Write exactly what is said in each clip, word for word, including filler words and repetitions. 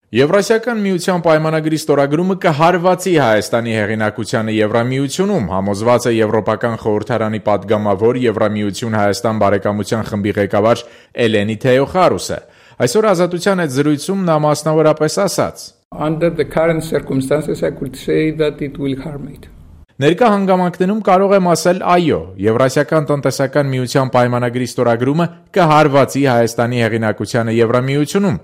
Եվրասիական միության պայմանագրի ստորագրումը կհարվածի Հայաստանի հեղինակությանը Եվրամիությունում, համոզված է Եվրոպական խորհրդարանի պատգամավոր Եվրամիություն Հայաստան բարեկամության խմբի ղեկավար Էլենի Թեոխարուսը։ Այսօր Ազատության հետ զրույցում նա մասնավորապես ասաց. Under the current circumstances I could say that it will harm it. Ներկա հանգամանքներում կարող եմ ասել այո, Եվրասիական տնտեսական միության պայմանագրի ստորագրումը կհարվածի Հայաստանի հեղինակությանը Եվրամիությունում,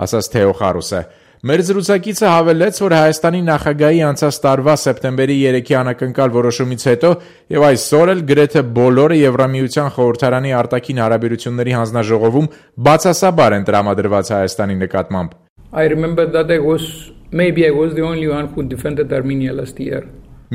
ասաց Թեոխարուսը։ Մեր զրուցակիցը հավելեց, որ Հայաստանի նախագահի անցած տարվա սեպտեմբերի երեքի անակնկալ որոշումից հետո եւ այսօր էլ գրեթե բոլորը Եվրամիության խորհրդարանի արտաքին հարաբերությունների հանձնաժողովում բացասաբար են տրամադրված Հայաստանի նկատմամբ։ I remember that I was maybe I was the only one who defended Armenia last year.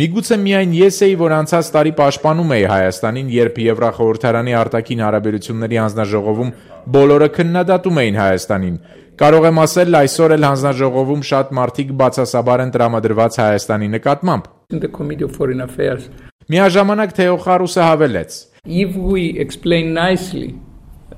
Միգուցե միայն ես էի, որ անցած տարի պաշտպանում էի Հայաստանին, երբ Եվրախորհրդարանի արտաքին հարաբերությունների հանձնաժողովում բոլորը քննադատում էին Հայաստանին։ Կարող եմ ասել, այսօր էլ հանձնաժողովում շատ մարդիկ բացասաբար են տրամադրված Հայաստանի նկատմամբ։ In the Committee of Foreign Affairs. Միաժամանակ Թեոխարուսը հավելեց. If we explain nicely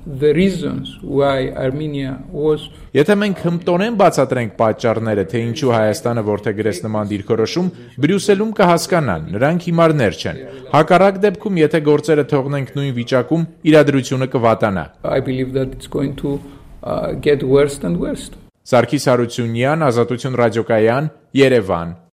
the reasons why Armenia was Եթե մենք հմտորեն բացատրենք պատճառները, թե ինչու Հայաստանը որդեգրեց նման դիրքորոշում, Բրյուսելում կհասկանան, նրանք հիմարներ չեն։ Հակառակ դեպքում, եթե գործերը թողնենք նույն վիճակում, իրադրությունը կվատանա։ I believe that it's going to uh, get worse and worse. Սարգիս Հարությունյան, Ազատություն ռադիոկայան, Երևան։